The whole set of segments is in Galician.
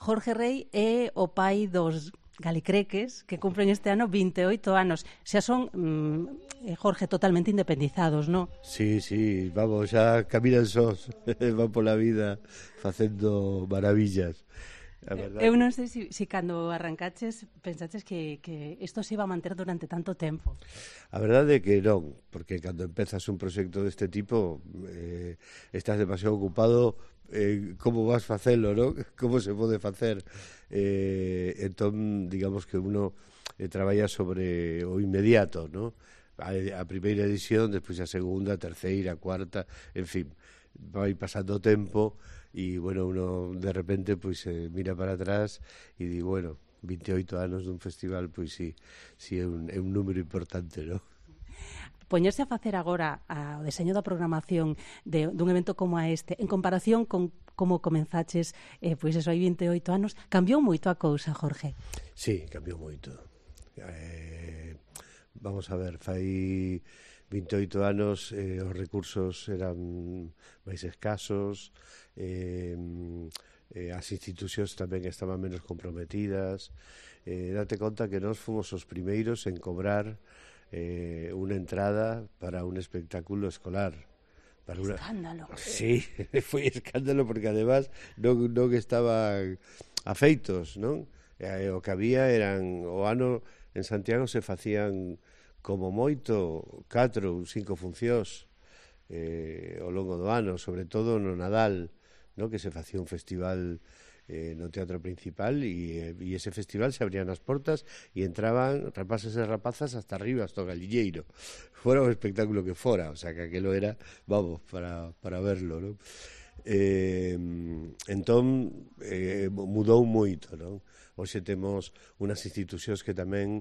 Jorge Rei é o pai dos galicreques que cumpren este ano 28 anos. Xa son, Jorge, totalmente independizados, non? Sí, vamos, xa caminan sós, van pola vida facendo maravillas. Eu non sei se cando arrancaches pensaches que isto se iba a manter durante tanto tempo. A verdade é que non, porque cando empezas un proxecto deste tipo estás demasiado ocupado como vas facelo, non? Como se pode facer. Entón, digamos que uno traballa sobre o inmediato, non? A primeira edición, despois a segunda, a terceira, a cuarta, en fin, vai pasando o tempo. E, bueno, uno de repente pois mira para atrás e di, bueno, 28 anos dun festival, pois sí é un número importante, non? Poñerse a facer agora o deseño da programación dun evento como este, en comparación con como comenzaches, pois eso, hai 28 anos, cambiou moito a cousa, Jorge? Sí, cambiou moito. Vamos a ver, fai 28 anos os recursos eran máis escasos, as institucións tamén estaban menos comprometidas. Date conta que nós fomos os primeiros en cobrar unha entrada para un espectáculo escolar. Escándalo. Sí, foi escándalo porque además non estaban afeitos, non? O que había eran, o ano en Santiago se facían como moito 4 ou 5 funcións ao longo do ano, sobre todo no Nadal, no? Que se facía un festival no Teatro Principal e ese festival se abrían as portas e entraban rapaces e rapazas hasta arriba, hasta o Galiñeiro, fora o espectáculo que fora, o sea que aquelo era, vamos, para verlo, non? Entón mudou moito, non? Hoxe temos unhas institucións que tamén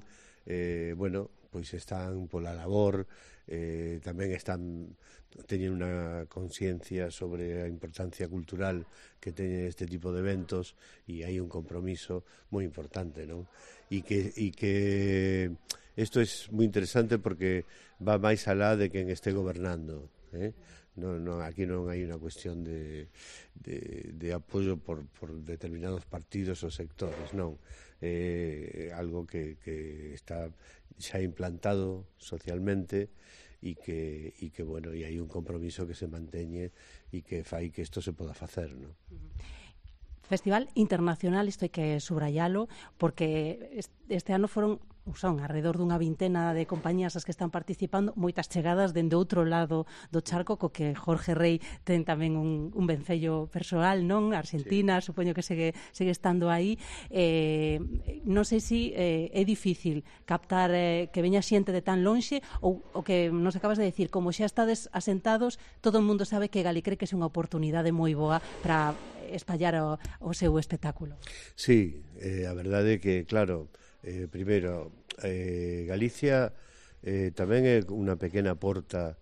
bueno, pois están pola labor, tamén teñen unha conciencia sobre a importancia cultural que teñen este tipo de eventos e hai un compromiso moi importante, non? E que isto é moi interesante porque va máis alá de quen este gobernando, aquí non hai unha cuestión de apoio por determinados partidos ou sectores, non. Algo que está xa implantado socialmente e que bueno, e hai un compromiso que se manteñe e que fai que isto se poda facer, non? Festival internacional, isto hai que subrayalo, porque este ano son alrededor dunha vintena de compañías as que están participando, moitas chegadas dende outro lado do charco, co que Jorge Rei ten tamén un vencello persoal, non? Argentina, sí. Supoño que segue estando aí. Non sei se é difícil captar que veña xente de tan lonxe ou que nos acabas de decir, como xa estades asentados, todo o mundo sabe que Galicreques é unha oportunidade moi boa para espallar o seu espectáculo. Sí, a verdade é que, claro, primeiro, Galicia tamén é unha pequena porta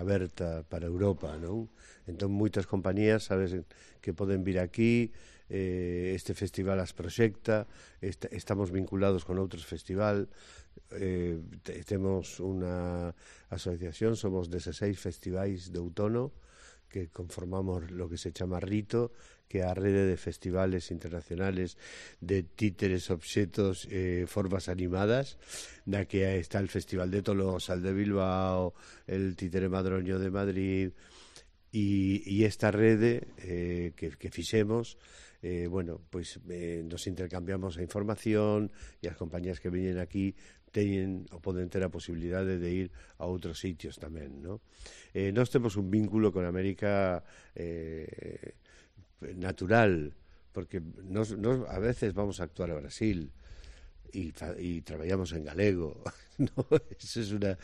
aberta para Europa, non? Entón, moitas compañías, sabes, que poden vir aquí, este festival as proxecta, estamos vinculados con outros festival, temos unha asociación, somos 16 festivais de outono, que conformamos lo que se chama RITO, que é a rede de festivales internacionales de títeres, obxetos, formas animadas, na que está el Festival de Tolosa, el de Bilbao, el Títere Madroño de Madrid, e esta rede que fixemos, bueno, pois nos intercambiamos a información e as compañías que veñen aquí teñen ou poden ter a posibilidade de ir a outros sitios tamén, non? Nós temos un vínculo con América natural, porque nós a veces vamos a actuar a Brasil e traballamos en galego, ¿no? Eso es una,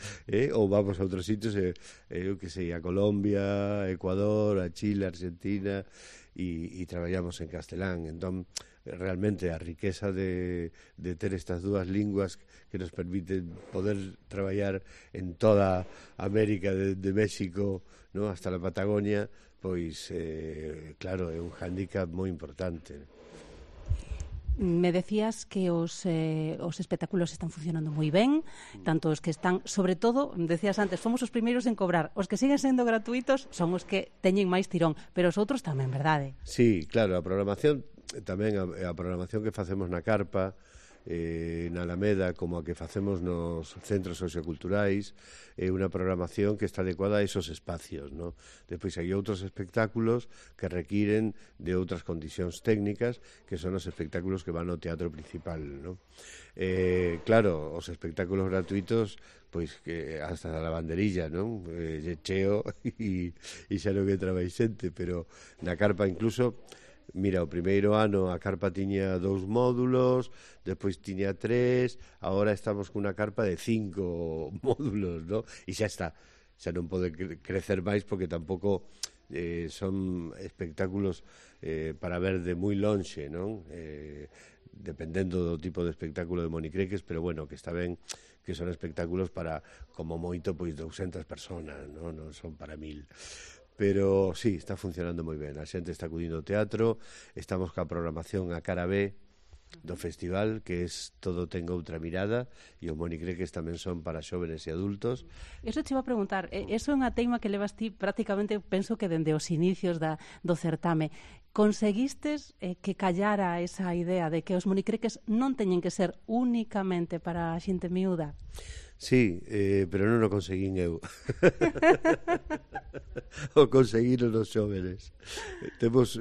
ou vamos a outros sitios, eu que sei, a Colombia, a Ecuador, a Chile, a Argentina, e traballamos en castelán. Entón, realmente a riqueza de ter estas dúas linguas que nos permiten poder traballar en toda América, de México, ¿no?, hasta la Patagonia, pois, claro, é un hándicap moi importante. Me decías que os espectáculos están funcionando moi ben, tanto os que están, sobre todo, decías antes, fomos os primeiros en cobrar, os que siguen sendo gratuitos son os que teñen máis tirón, pero os outros tamén, verdade? Sí, claro, a programación tamén a programación que facemos na Carpa, na Alameda, como a que facemos nos centros socioculturais, é unha programación que está adecuada a esos espacios, ¿no? Depois hai outros espectáculos que requiren de outras condicións técnicas, que son os espectáculos que van ao teatro principal, ¿no? Claro, os espectáculos gratuitos, pois que hasta a lavanderilla, non? Cheo e xa non entra máis xente, pero na Carpa incluso, mira, o primeiro ano a Carpa tiña 2 módulos, despois tiña 3, agora estamos cunha Carpa de 5 módulos, ¿no? E xa está, xa non pode crecer máis porque tampouco son espectáculos para ver de moi lonxe, non? Dependendo do tipo de espectáculo de monicreques, pero bueno, que está ben que son espectáculos para, como moito, pois 200 personas, non son para 1000. Pero sí, está funcionando moi ben. A xente está acudindo ao teatro, estamos ca programación a cara B do festival, que es todo ten outra mirada, e os monicreques tamén son para xóvenes e adultos. Eso te iba a preguntar, eso é unha teima que levas ti prácticamente, penso que dende os inicios do certame. Conseguistes que callara esa idea de que os monicreques non teñen que ser únicamente para a xente miúda? Sí, pero non o conseguín eu. O conseguiron os xóvenes. Temos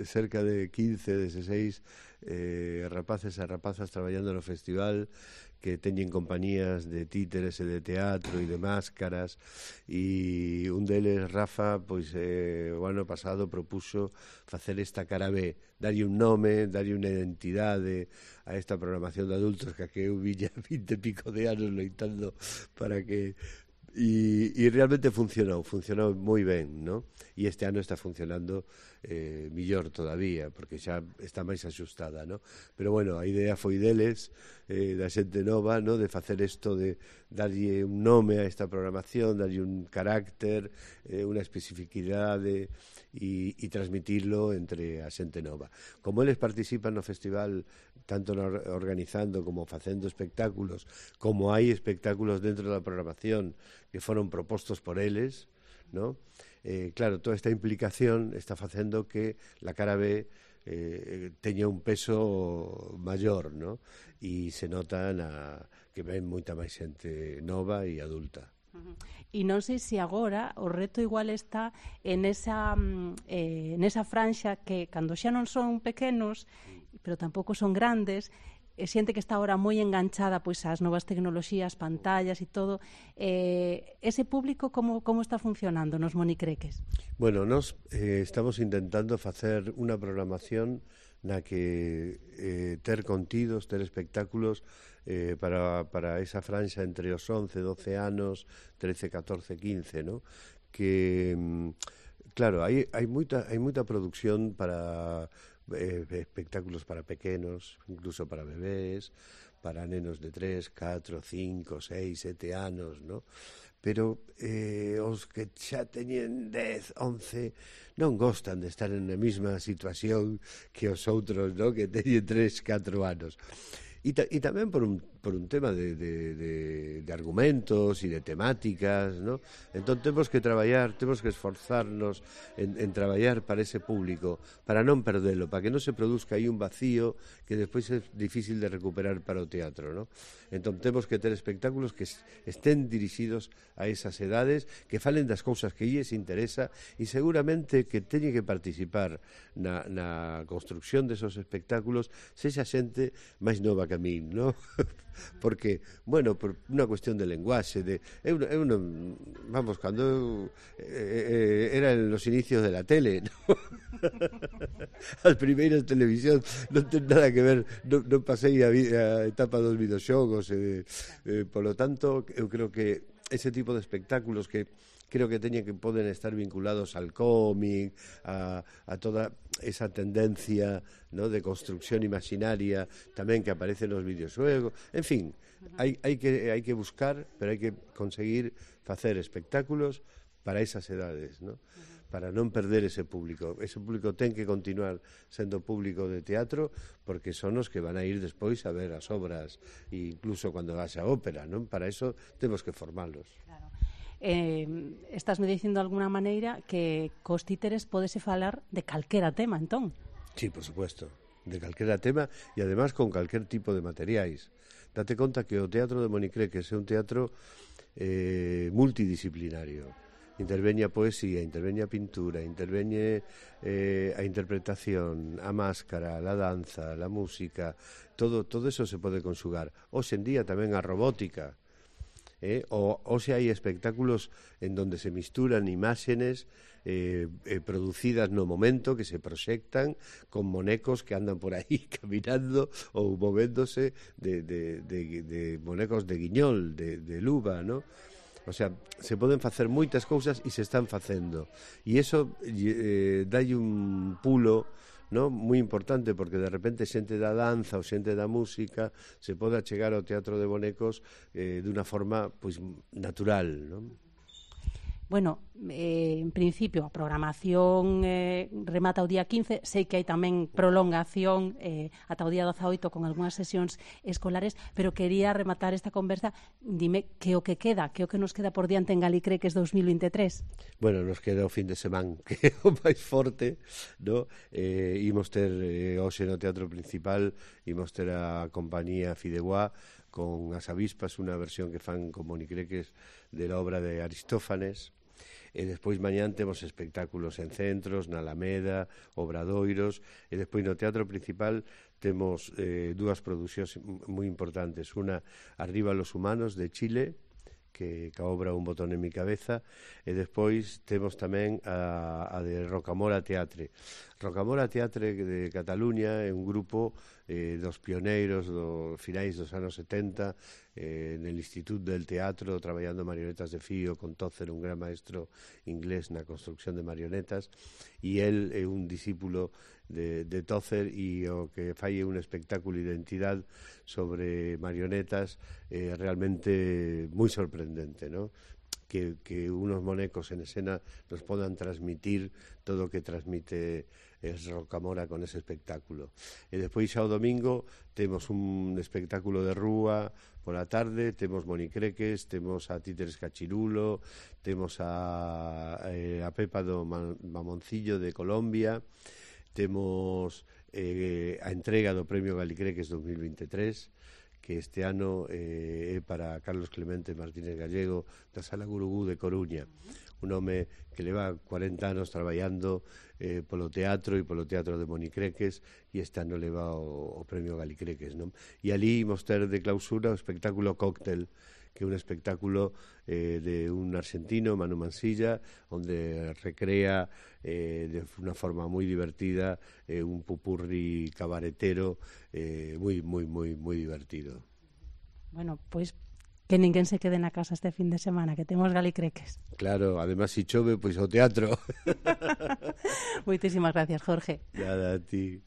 cerca de 15, 16 rapaces e rapazas traballando no festival, que teñen compañías de títeres e de teatro e de máscaras, e un deles, Rafa, pois o ano pasado propuxo facer esta cara B, darlle un nome, darlle unha identidade a esta programación de adultos que eu viña 20 e pico de anos loitando para que... E realmente funcionou moi ben, ¿no? E este ano está funcionando millor todavía, porque xa está máis axustada, ¿no? Pero bueno, a idea foi deles, da xente nova, ¿no? De facer isto, de darlle un nome a esta programación, darlle un carácter, unha especificidade e transmitirlo entre a xente nova. Como eles participan no festival, tanto organizando como facendo espectáculos, como hai espectáculos dentro da programación que foron propostos por eles, ¿no? Claro, toda esta implicación está facendo que la cara B teña un peso maior, ¿no? E se nota que ven moita máis xente nova e adulta. E non sei se agora o reto igual está en esa franxa que cando xa non son pequenos, pero tampouco son grandes, xente que está agora moi enganchada pois ás novas tecnoloxías, pantallas e todo, ese público como está funcionando nos monicreques? Bueno, nós estamos intentando facer unha programación na que ter contidos, ter espectáculos para esa franxa entre os 11, 12 anos, 13, 14, 15, ¿no? Que, claro, hai moita produción para espectáculos para pequenos, incluso para bebés, para nenos de 3, 4, 5, 6, 7 anos, ¿no? Pero os que xa teñen 10, 11 non gostan de estar na mesma situación que os outros, ¿no? Que teñen 3, 4 anos. E tamén por un tema de argumentos e de temáticas, ¿no? Entón temos que traballar, temos que esforzarnos en traballar para ese público, para non perdelo, para que non se produzca aí un vacío que despois é difícil de recuperar para o teatro, ¿no? Entón temos que ter espectáculos que estén dirixidos a esas edades, que falen das cousas que lles interesa e seguramente que teñen que participar na construcción desos espectáculos sexa xente máis nova que a min, ¿no? Porque, bueno, por unha cuestión de lenguaxe, eu non, vamos, cando era en los inicios de la tele, ¿no? As primeiras televisión non ten nada que ver, non pasei a etapa dos videoxogos, polo tanto, eu creo que ese tipo de espectáculos que creo que poden estar vinculados al cómic, a toda esa tendencia, ¿no? De construcción imaginaria tamén que aparece nos videoxuegos. En fin, hai que buscar, pero hai que conseguir facer espectáculos para esas edades, ¿no? Para non perder ese público. Ese público ten que continuar sendo público de teatro porque son os que van a ir despois a ver as obras, e incluso cando haxa ópera, ¿no? Para eso temos que formarlos. Claro. Estásme dicindo de alguna maneira que cos títeres pódese falar de calquera tema, entón? Sí, por supuesto, de calquera tema e además con calquer tipo de materiais. Date conta que o Teatro de Monicreques é un teatro multidisciplinario. Interveñe a poesía, interveñe a pintura, interveñe a interpretación, a máscara, a danza, a música, todo eso se pode conxugar. Hoxe en día tamén a robótica, hoxe hai espectáculos en donde se misturan imágenes producidas no momento, que se proxectan con monecos que andan por aí caminando ou movéndose de monecos de guiñol, de luva, ¿no? O sea, se poden facer moitas cousas e se están facendo. E iso dalle un pulo, ¿no?, moi importante, porque de repente xente da danza ou xente da música se pode achegar ao teatro de bonecos dunha forma pois natural, ¿no? Bueno, en principio a programación remata o día 15, sei que hai tamén prolongación ata o día 18 con algunhas sesións escolares, pero quería rematar esta conversa, dime que o que nos queda por diante en Galicreques 2023? Bueno, nos queda o fin de semana, que é o máis forte, ¿no? Imos ter hoxe no Teatro Principal, imos ter a compañía Fideuá con As Avispas, unha versión que fan con Monicreques de la obra de Aristófanes. E despois mañán temos espectáculos en centros, na Alameda, obradoiros, e despois no Teatro Principal temos dúas producións moi importantes, unha Arriba los humanos de Chile, que a obra Un botón en mi cabeza, e despois temos tamén a de Rocamora Teatre. Rocamora Teatre de Cataluña é un grupo dos pioneiros dos finais dos anos 70 en el Institut del Teatro, traballando marionetas de fío con Tócer, un gran maestro inglés na construcción de marionetas, e el é un discípulo de Tócer, e o que fai é un espectáculo de identidade sobre marionetas realmente moi sorprendente, ¿no? Que unos monecos en escena nos podan transmitir todo o que transmite Rocamora con ese espectáculo. E despois xa o domingo temos un espectáculo de rúa pola tarde, temos Monicreques, temos a Títeres Cachirulo, temos a Pepa do Mamoncillo de Colombia, temos a entrega do Premio Galicreques 2023, que este ano é para Carlos Clemente Martínez Gallego da Sala Gurugú de Coruña, un home que leva 40 anos traballando polo teatro e polo teatro de Monicreques, e este ano leva o Premio Galicreques, non? E ali imos ter de clausura o espectáculo Cóctel, que é un espectáculo de un argentino, Manu Mansilla, onde recrea de unha forma moi divertida un pupurri cabaretero moi divertido. Bueno, pois que ninguén se quede na casa este fin de semana, que temos Galicreques. Claro, además si chove, pois ao teatro. Moitísimas gracias, Jorge. Nada, a ti.